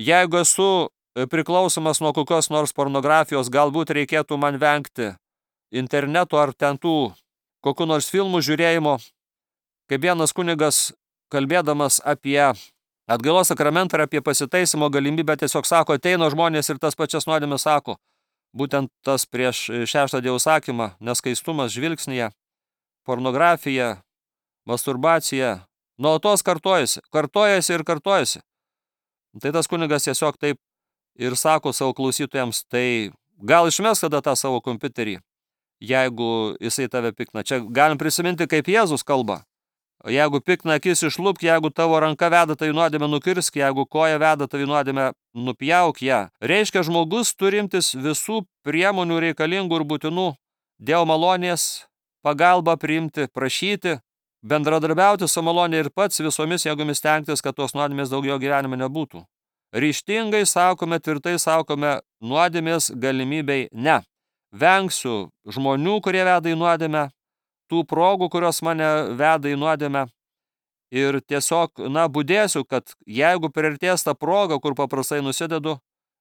Speaker 1: Jeigu esu priklausomas nuo kokios nors pornografijos, galbūt reikėtų man vengti interneto ar ten tų kokių nors filmų žiūrėjimo. Kaip vienas kunigas, kalbėdamas apie atgailos sakramentą ir apie pasitaisymo galimybę, tiesiog sako, ateina žmonės ir tas pačias nuodėmes sako. Būtent tas prieš šeštą Dievo sakymą, neskaistumas žvilgsnyje, pornografija, masturbacija, nuolatos kartojasi, kartojasi ir kartojasi. Tai tas kunigas tiesiog taip ir sako savo klausytojams, tai gal išmes tada tą savo kompiuterį, jeigu jisai tave pikna. Čia galim prisiminti, kaip Jėzus kalba. Jeigu pikna akis išlupk, jeigu tavo ranka veda tai nuodėmę nukirsk, jeigu koja veda tai nuodėmę nupjauk ją. Reiškia, žmogus turintis visų priemonių reikalingų ir būtinų Dievo malonės pagalbą priimti, prašyti, bendradarbiauti su malonė ir pats visomis jėgomis stengtis, kad tos nuodėmės daugiau gyvenime nebūtų. Ryžtingai sakome, tvirtai sakome, nuodėmės galimybei ne. Vengsiu žmonių, kurie veda į nuodėmę, tų progų, kurios mane veda į nuodėmę ir tiesiog, na, budėsiu, kad jeigu priartės tą progą, kur paprastai nusidedu,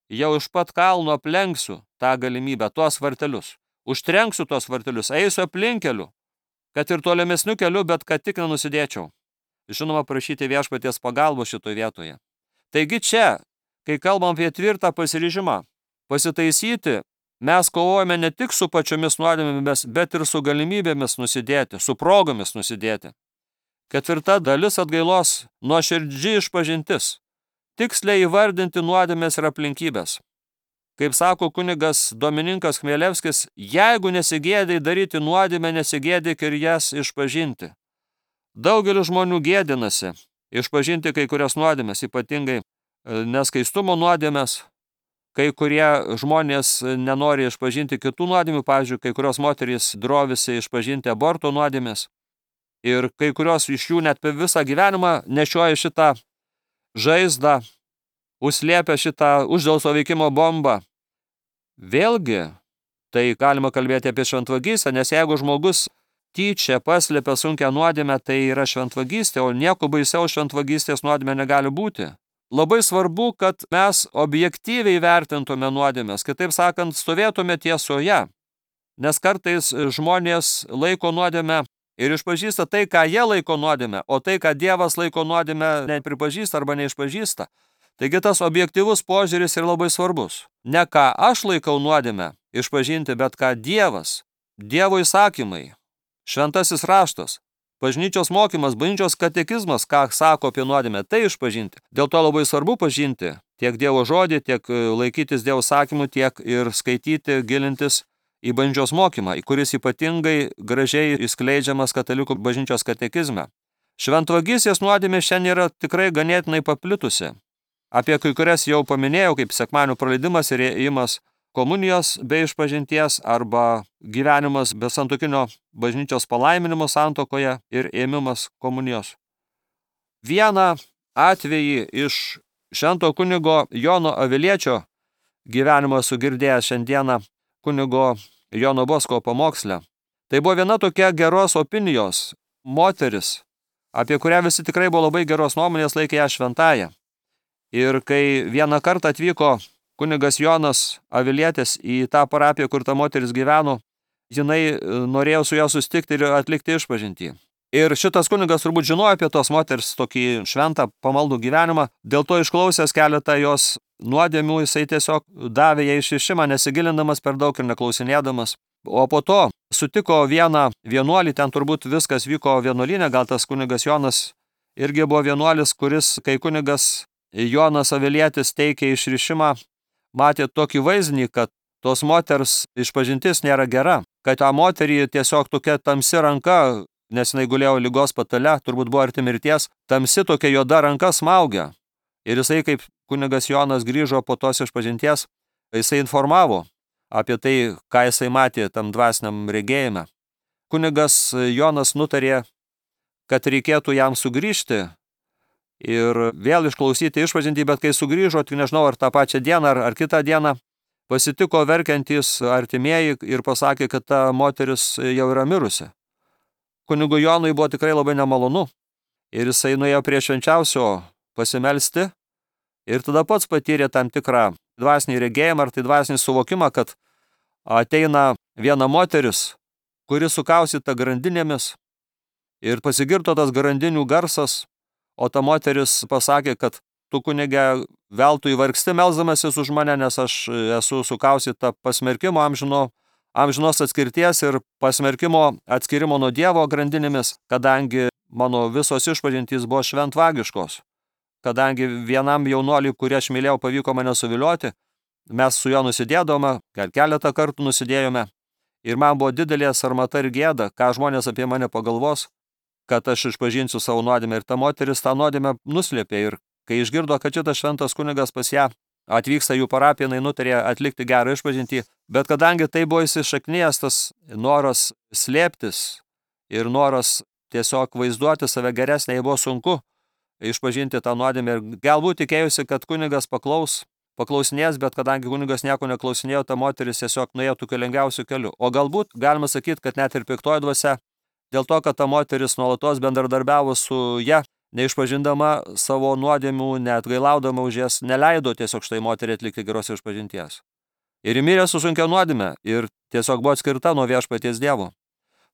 Speaker 1: jau iš pat kalno aplenksiu tą galimybę, tuos vartelius. Užtrenksiu tuos vartelius, eisiu aplinkeliu, kad ir tolimesniu keliu, bet kad tik nenusidėčiau. Žinoma, prašyti viešpaties pagalbos šitoje vietoje. Taigi čia, kai kalbam apie tvirtą pasiryžimą, pasitaisyti, mes kovojame ne tik su pačiomis nuodėmėmis, bet ir su galimybėmis nusidėti, su progomis nusidėti. Ketvirta dalis atgailos – nuoširdži išpažintis. Tiksliai įvardinti nuodėmės ir aplinkybės. Kaip sako kunigas Domininkas Chmielevskis, jeigu nesigėdai daryti nuodėmę, nesigėdyk ir jas išpažinti. Daugelis žmonių gėdinasi išpažinti kai kurias nuodėmės, ypatingai neskaistumo nuodėmės. Kai kurie žmonės nenori išpažinti kitų nuodėmių, pavyzdžiui, kai kurios moterys drovisi išpažinti aborto nuodėmės ir kai kurios iš jų net per visą gyvenimą nešioja šitą žaizdą, užslėpia šitą uždelso veikimo bombą. Vėlgi, tai galima kalbėti apie šventvagystę, nes jeigu žmogus tyčia paslėpia sunkią nuodėmę, tai yra šventvagystė, o nieko baisiau šventvagystės nuodėmė negali būti. Labai svarbu, kad mes objektyviai vertintume nuodėmės, kitaip sakant, stovėtume tiesoje, nes kartais žmonės laiko nuodėmę ir išpažįsta tai, ką jie laiko nuodėmę, o tai, ką Dievas laiko nuodėmę, nepripažįsta arba neišpažįsta. Taigi tas objektyvus požiūris yra labai svarbus. Ne ką aš laikau nuodėmę išpažinti, bet ką Dievas, Dievo įsakymai, šventasis raštas, bažnyčios mokymas, bažnyčios katekizmas, ką sako apie nuodėmę, tai išpažinti. Dėl to labai svarbu pažinti tiek Dievo žodį, tiek laikytis Dievo sakymų, tiek ir skaityti, gilintis į bažnyčios mokymą, kuris ypatingai gražiai išskleidžiamas katalikų bažnyčios katekizme. Šventvagystės nuodėmė šiandien yra tikrai ganėtinai paplitusi. Apie kai kurias jau paminėjau, kaip sekmadienio praleidimas ir ėjimas komunijos be išpažinties arba gyvenimas be santuokinio bažnyčios palaiminimo santuokoje ir ėmimas komunijos. Vieną atvejį iš švento kunigo Jono Aviliečio gyvenimo esu girdėjęs šiandieną kunigo Jono Bosko pamoksle. Tai buvo viena tokia geros opinijos moteris, apie kurią visi tikrai buvo labai geros nuomonės, laikė ją šventąją. Ir kai vieną kartą atvyko kunigas Jonas Avilietis į tą parapiją, kur ta moteris gyveno, jinai norėjo su juo susitikti ir atlikti išpažintį. Ir šitas kunigas turbūt žinojo apie tos moters tokį šventą pamaldų gyvenimą, dėl to išklausęs keletą jos nuodėmių, jisai tiesiog davė ją išrišimą, nesigilindamas per daug ir neklausinėdamas. O po to sutiko vieną vienuolį, ten turbūt viskas vyko vienuolyne, gal tas kunigas Jonas irgi buvo vienuolis, kuris, kai kunigas Jonas Avilietis teikė išrišimą, matė tokį vaizdinį, kad tos moters išpažintis nėra gera, kad tą moterį tiesiog tokia tamsi ranka, nes jinai gulėjo ligos patale, turbūt buvo arti mirties, tamsi tokia juoda ranka smaugia. Ir jisai, kaip kunigas Jonas grįžo po tos išpažinties, jisai informavo apie tai, ką jisai matė tam dvasiniam regėjime. Kunigas Jonas nutarė, kad reikėtų jam sugrįžti ir vėl išklausyti išpažintį, bet kai sugrįžo, tik nežinau, ar tą pačią dieną, ar, ar kitą dieną, pasitiko verkiantys artimieji ir pasakė, kad ta moteris jau yra mirusi. Kunigui Jonui buvo tikrai labai nemalonu ir jisai nuėjo prie švenčiausio pasimelsti ir tada pats patyrė tam tikrą dvasinį regėjimą ar tai dvasinį suvokimą, kad ateina viena moteris, kuri sukaustyta grandinėmis ir pasigirdo tas grandinių garsas, o ta moteris pasakė, kad tu kunige veltui vargsti melsdamasis už mane, nes aš esu sukaustyta pasmerkimo amžino, amžinos atskirties ir pasmerkimo atskirimo nuo Dievo grandinėmis, kadangi mano visos išpažintys buvo šventvagiškos. Kadangi vienam jaunuoliui, kurį aš mylėjau, pavyko mane suvilioti, mes su juo nusidėdome, gal keletą kartų nusidėjome, ir man buvo didelė sarmata ir gėda, ką žmonės apie mane pagalvos, kad aš išpažinsiu savo nuodėmę. Ir ta moteris tą nuodėmę nuslėpė. Ir kai išgirdo, kad šitas šventas kunigas pas ją atvyksta jų parapiją, jinai nutarė atlikti gerą išpažintį. Bet kadangi tai buvo įsišaknijęs tas noras slėptis ir noras tiesiog vaizduoti save geresnė, jai buvo sunku išpažinti tą nuodėmę. Ir galbūt tikėjusi, kad kunigas paklaus, paklausinės, bet kadangi kunigas nieko neklausinėjo, ta moteris tiesiog nuėjo tokiu lengviausiu keliu. O galbūt galima sakyti, kad net ir piktoji dvasia, dėl to, kad ta moteris nuolatos bendradarbiavo su ja, neišpažindama savo nuodėmių, net gailaudama už jas, neleido tiesiog štai moteriai atlikti geros išpažinties. Ir mirė su sunkia nuodėme ir tiesiog buvo atskirta nuo viešpaties Dievo.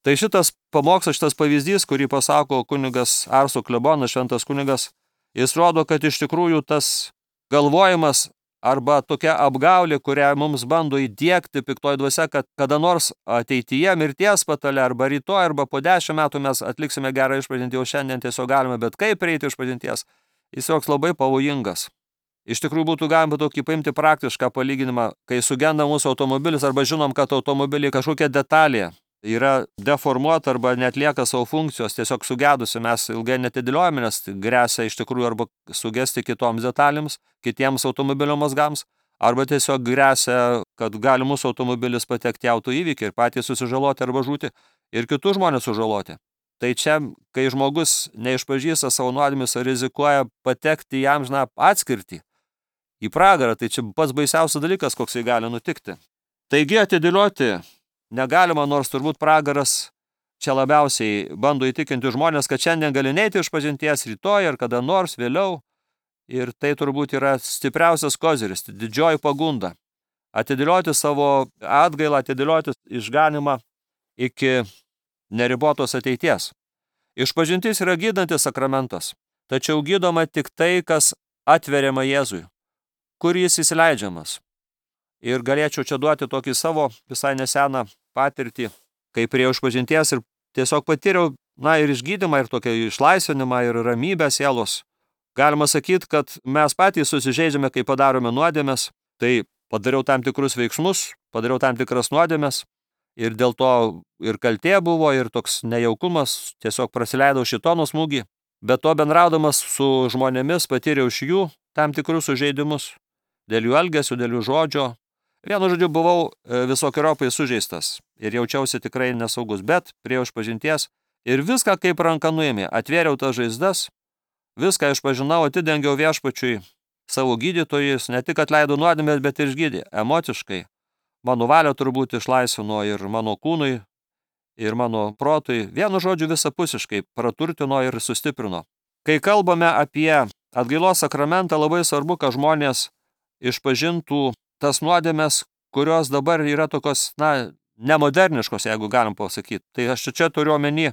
Speaker 1: Tai šitas pamokslas, šitas pavyzdys, kurį pasako kunigas Arso klebonas, šventas kunigas, jis rodo, kad iš tikrųjų tas galvojimas arba tokia apgaulė, kurią mums bando įdiegti piktoji dvasia, kad kada nors ateityje mirties patale arba rytoj arba po dešimt metų mes atliksime gerą išpažintį, o šiandien tiesiog galime, bet kaip prieiti išpažinties, jis joks labai pavojingas. Iš tikrųjų būtų galima tokį paimti praktišką palyginimą, kai sugenda mūsų automobilis arba žinom, kad automobilį kažkokia detalė yra deformuota arba netlieka savo funkcijos, tiesiog sugedusi, mes ilgai netidėliojame, nes gresia iš tikrųjų arba sugesti kitoms detalėms, kitiems automobilio mazgams, arba tiesiog gresia, kad gali mūsų automobilis patekti į autoįvykį ir patys susižaloti arba žūti ir kitus žmonės sužaloti. Tai čia, kai žmogus neišpažįsta savo nuodėmės, rizikuoja patekti į amžiną atskirtį, į pragarą, tai čia pats baisiausias dalykas, koks jį gali nutikti. Taigi atidėlioti negalima, nors turbūt pragaras čia labiausiai bando įtikinti žmonės, kad šiandien gali neiti išpažinties rytoj ar kada nors vėliau. Ir tai turbūt yra stipriausias koziris, didžioji pagunda. Atidėlioti savo atgailą, atidėlioti išganimą iki neribotos ateities. Išpažintis yra gydantis sakramentas, tačiau gydoma tik tai, kas atveriama Jėzui, kur jis įsileidžiamas. Ir galėčiau čia duoti tokį savo visai neseną patirtį, kai prie išpažinties ir tiesiog patyriau, na, ir išgydymą, ir tokią išlaisvinimą, ir ramybę sielos. Galima sakyti, kad mes patys susižeidžiame, kai padarome nuodėmes, tai padariau tam tikrus veiksmus, padariau tam tikras nuodėmes, ir dėl to ir kaltė buvo, ir toks nejaukumas, tiesiog prasileidau šitono smūgį, bet to bendraudamas su žmonėmis patyriau iš jų tam tikrus sužeidimus, dėl jų elgesio, dėl jų žodžio. Vienu žodžiu, buvau visokiojopai sužeistas ir jaučiausi tikrai nesaugus, bet priėjau išpažinties ir viską kaip ranka nuėmė. Atvėriau tas žaizdas, viską išpažinau, atidengiau viešpačiui savo gydytojus, ne tik atleido nuodėmės, bet ir išgydė emociškai. Mano valią turbūt išlaisvino ir mano kūnui, ir mano protui. Vienu žodžiu visapusiškai praturtino ir sustiprino. Kai kalbame apie atgailos sakramentą, labai svarbu, kad žmonės išpažintų tas nuodėmes, kurios dabar yra tokios, na, nemoderniškos, jeigu galim pasakyti. Tai aš čia turiu omeny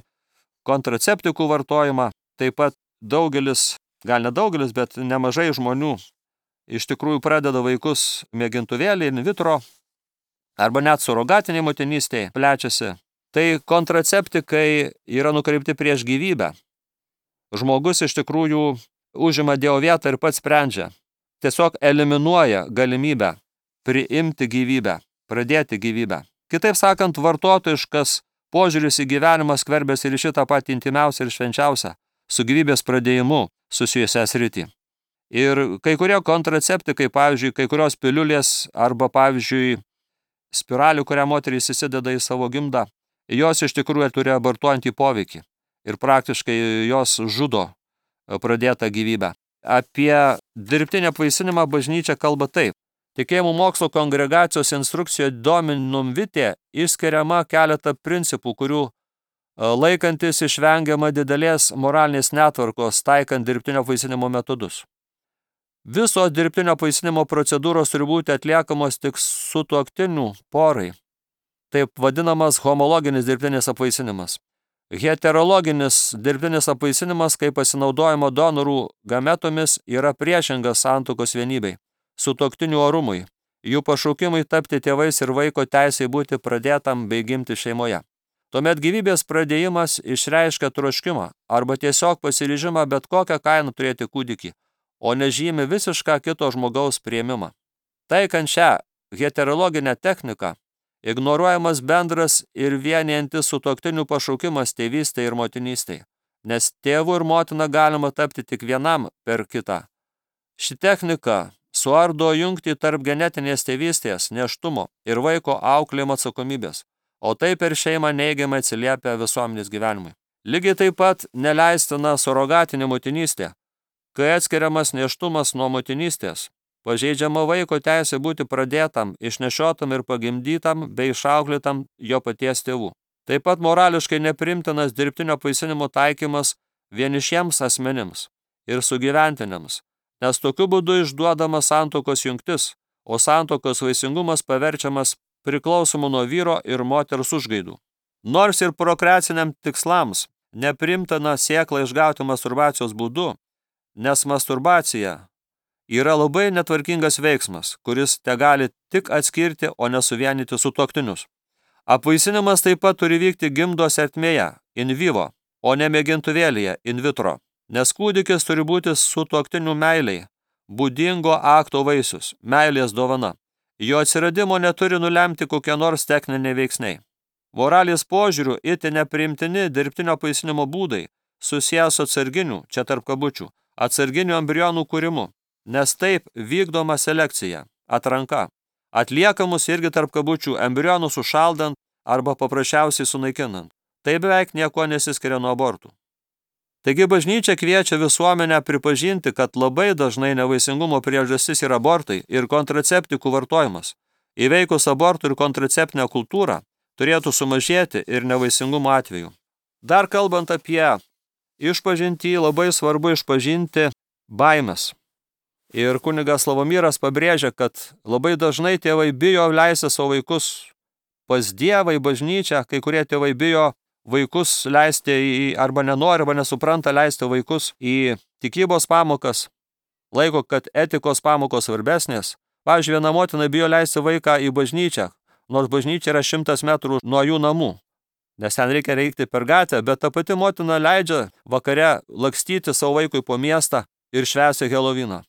Speaker 1: kontraceptikų vartojimą. Taip pat daugelis, gal ne daugelis, bet nemažai žmonių iš tikrųjų pradeda vaikus mėgintuvėlį, in vitro, arba net surogatiniai motinystėje plečiasi. Tai kontraceptikai yra nukreipti prieš gyvybę. Žmogus iš tikrųjų užima Dievo vietą ir pats sprendžia. Tiesiog eliminuoja galimybę priimti gyvybę, pradėti gyvybę. Kitaip sakant, vartotojiškas požiūris į gyvenimą skverbiasi ir šitą patį intimiausią ir švenčiausią su gyvybės pradėjimu susijusią sritį. Ir kai kurie kontraceptikai, pavyzdžiui, kai kurios piliulės arba, pavyzdžiui, spiralių, kurią moterys įsideda į savo gimdą, jos iš tikrųjų turi abortuojantį poveikį ir praktiškai jos žudo pradėtą gyvybę. Apie dirbtinį apvaisinimą bažnyčia kalba taip. Tikėjimų mokslo kongregacijos instrukcijoje Dominum Vitae išskiriama keletą principų, kurių laikantis išvengiama didelės moralinės netvarkos, taikant dirbtinio apvaisinimo metodus. Visos dirbtinio apvaisinimo procedūros turi būti atliekamos tik sutuoktinių porai. Taip vadinamas homologinis dirbtinis apvaisinimas. Heterologinis dirbtinis apvaisinimas, kaip pasinaudojimo donorų gametomis, yra priešingas santuokos vienybei, sutuoktinių orumui, jų pašaukimui tapti tėvais ir vaiko teisei būti pradėtam bei gimti šeimoje. Tuomet gyvybės pradėjimas išreiškia troškimą arba tiesiog pasiryžimą bet kokią kainą turėti kūdikį, o nežymi visišką kito žmogaus priėmimą. Taikant šią heterologinę techniką, ignoruojamas bendras ir vienijantis sutuoktinių pašaukimas tėvystei ir motinystei, nes tėvu ir motina galima tapti tik vienam per kitą. Ši technika suardo jungtį tarp genetinės tėvystės, nėštumo ir vaiko auklėjimo atsakomybės, o tai per šeimą neigiamai atsiliepia visuomenės gyvenimui. Lygiai taip pat neleistina surogatinė motinystė, kai atskiriamas nėštumas nuo motinystės, pažeidžiama vaiko teisė būti pradėtam, išnešiotam ir pagimdytam bei išauklėtam jo paties tėvų. Taip pat morališkai neprimtinas dirbtinio apvaisinimo taikymas vienišiems asmenims ir sugyventiniams, nes tokiu būdu išduodama santuokos jungtis, o santuokos vaisingumas paverčiamas priklausomu nuo vyro ir moters užgaidų. Nors ir prokreaciniam tikslams neprimtina sėklą išgauti masturbacijos būdu, nes masturbacija yra labai netvarkingas veiksmas, kuris te gali tik atskirti, o nesuvienyti sutuoktinius. Apvaisinimas taip pat turi vykti gimdos ertmėje, in vivo, o ne mėgintuvėlyje, in vitro, nes kūdikis turi būti sutuoktinių meiliai, būdingo akto vaisius, meilės dovana. Jo atsiradimo neturi nulemti kokie nors techniniai veiksniai. Moralės požiūrių itin nepriimtini dirbtinio apvaisinimo būdai susijęs su atsarginiu, čia tarp kabučių, atsarginių embrionų kūrimu, nes taip vykdoma selekcija, atranka, atliekamus irgi tarp kabučių embrionus sušaldant arba paprasčiausiai sunaikinant. Tai beveik nieko nesiskiria nuo abortų. Taigi bažnyčia kviečia visuomenę pripažinti, kad labai dažnai nevaisingumo priežastis yra abortai ir kontraceptikų vartojimas. Įveikus abortų ir kontraceptinę kultūrą turėtų sumažėti ir nevaisingumo atveju. Dar kalbant apie išpažintį, labai svarbu išpažinti baimes. Ir kunigas Slavomiras pabrėžia, kad labai dažnai tėvai bijo leisti savo vaikus pas Dievą į bažnyčią, kai kurie tėvai bijo vaikus leisti į, arba nenori, arba nesupranta leisti vaikus į tikybos pamokas, laiko, kad etikos pamokos svarbesnės. Pavyzdžiui, viena motina bijo leisti vaiką į bažnyčią, nors bažnyčia yra šimtas metrų nuo jų namų, nes ten reikia reikti per gatvę, bet ta pati motina leidžia vakare lakstyti savo vaikui po miestą ir švęsti Heloviną.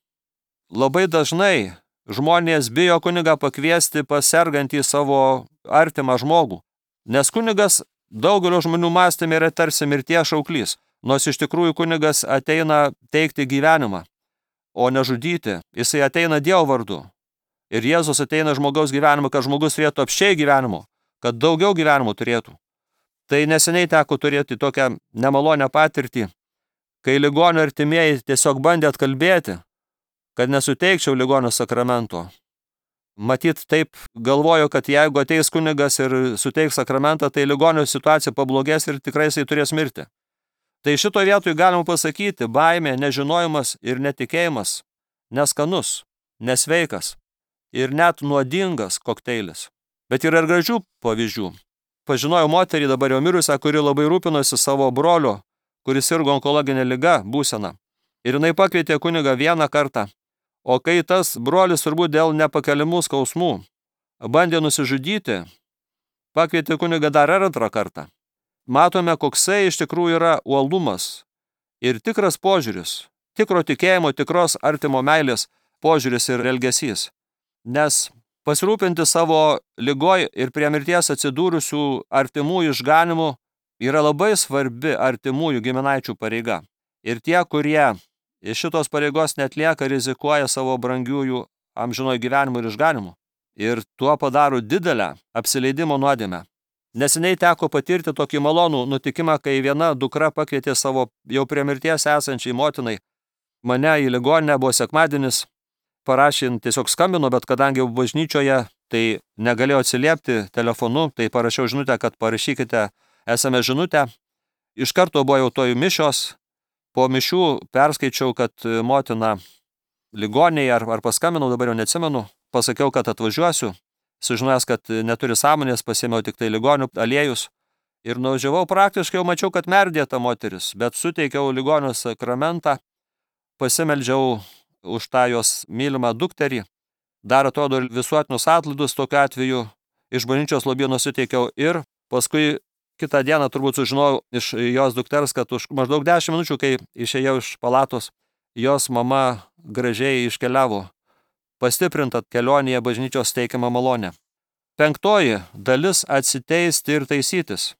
Speaker 1: Labai dažnai žmonės bijo kunigą pakviesti pas sergantį savo artimą žmogų, nes kunigas daugelio žmonių mąstyme yra tarsi mirties šauklys, nors iš tikrųjų kunigas ateina teikti gyvenimą, o ne žudyti. Jisai ateina Dievo vardu. Ir Jėzus ateina žmogaus gyvenimą, kad žmogus turėtų apsčiai gyvenimo, kad daugiau gyvenimų turėtų. Tai neseniai teko turėti tokią nemalonę patirtį, kai ligonio artimieji tiesiog bandė atkalbėti, kad nesuteikčiau ligonio sakramento. Matyt, taip galvoju, kad jeigu ateis kunigas ir suteiks sakramentą, tai ligonio situacija pablogės ir tikrai jisai turės mirti. Tai šito vietoj galima pasakyti, baimė, nežinojimas ir netikėjimas neskanus, nesveikas ir net nuodingas kokteilis. Bet yra ir gražių pavyzdžių. Pažinojau moterį dabar jau mirusią, kuri labai rūpinosi savo brolio, kuris sirgo onkologinė liga būsena. Ir jinai pakvietė kunigą vieną kartą. O kai tas brolis turbūt dėl nepakeliamų skausmų bandė nusižudyti, pakvietė kunigą dar antrą kartą. Matome, koksai iš tikrųjų yra uolumas ir tikras požiūris, tikro tikėjimo, tikros artimo meilės požiūris ir elgesys. Nes pasirūpinti savo ligoj ir prie mirties atsidūrusių artimųjų išganimu yra labai svarbi artimųjų giminaičių pareiga. Ir tie, kurie iš šitos pareigos netlieka, rizikuoja savo brangiųjų amžinojo gyvenimo ir išganimu. Ir tuo padaro didelę apsileidimo nuodėmę. Neseniai teko patirti tokį malonų nutikimą, kai viena dukra pakvietė savo jau prie mirties esančiai motinai mane į ligoninę, buvo sekmadienis, parašė, tiesiog skambino, bet kadangi bažnyčioje, tai negalėjo atsiliepti telefonu, tai parašiau žinutę, kad parašykite es em es žinutę. Iš karto buvo jau tojų mišios, po mišių perskaičiau, kad motina ligoninėje, ar, ar paskambinau, dabar jau neatsimenu, pasakiau, kad atvažiuosiu, sužinojęs, kad neturi sąmonės, pasėmiau tik tai ligonių aliejus ir nuvažiavau, praktiškai jau mačiau, kad merdė ta moteris, bet suteikiau ligonio sakramentą, pasimeldžiau už tą jos mylimą dukterį, dar atrodo visuotinius atlaidus tokiu atveju iš bažnyčios lobyno suteikiau ir paskui kitą dieną turbūt sužinojau iš jos dukters, kad už maždaug dešimt minučių, kai išėjau iš palatos, jos mama gražiai iškeliavo, pastiprinta kelionėje bažnyčios teikiamą malonę. Penktoji dalis – atsiteisti ir taisytis.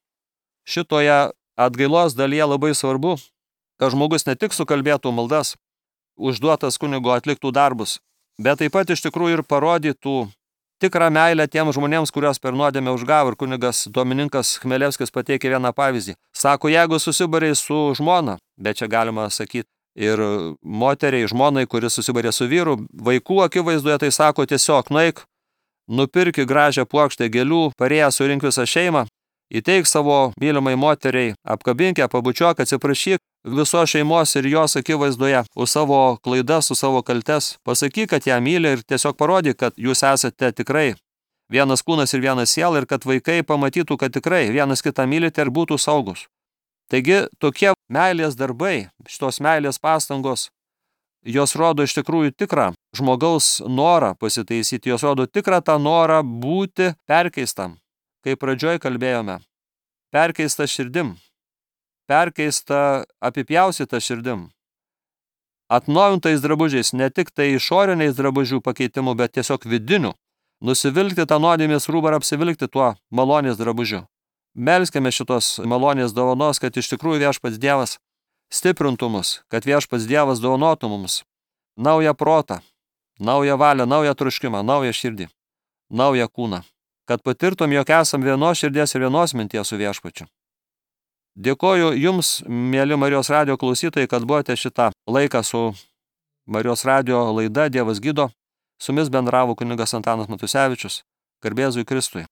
Speaker 1: Šitoje atgailos dalyje labai svarbu, kad žmogus ne tik sukalbėtų maldas, užduotas kunigo atliktų darbus, bet taip pat iš tikrųjų ir parodytų tikrą meilę tiems žmonėms, kurios per nuodėmę užgavo. Ir kunigas Domininkas Chmelevskis pateikė vieną pavyzdį. Sako, jeigu susibarė su žmona, bet čia galima sakyti ir moteriai, žmonai, kuris susibarė su vyru, vaikų akivaizdoje, tai sako tiesiog, nueik, nupirki gražią puokštę gėlių, parėję surink visą šeimą, įteik savo mylimai moteriai, apkabink ją, pabučiuok, atsiprašyk visos šeimos ir jos akivaizdoje už savo klaidas, už savo kaltes. Pasakyk, kad ją myli ir tiesiog parodyk, kad jūs esate tikrai vienas kūnas ir vienas siela ir kad vaikai pamatytų, kad tikrai vienas kitą mylite ir būtų saugus. Taigi tokie meilės darbai, šitos meilės pastangos, jos rodo iš tikrųjų tikrą žmogaus norą pasitaisyti, jos rodo tikrą tą norą būti perkeistam. Kaip pradžioj kalbėjome, perkeista širdim, perkeista apipjaustyta širdim, atnaujintais drabužiais, ne tik tai išoriniais drabužių pakeitimu, bet tiesiog vidiniu, nusivilkti tą nuodėmės rūbą ir apsivilkti tuo malonės drabužiu. Melskime šitos malonės dovanos, kad iš tikrųjų Viešpats Dievas stiprintų mus, kad Viešpats Dievas dovanotų mums naują protą, naują valią, naują troškimą, naują širdį, naują kūną, kad patirtum, jog esam vienos širdies ir vienos minties su Viešpačiu. Dėkoju Jums, mėly Marijos radijo klausytojai, kad buvote šitą laiką su Marijos radijo laida Dievas gydo. Su jumis bendravo kunigas Antanas Matusevičius. Garbė Jėzui Kristui.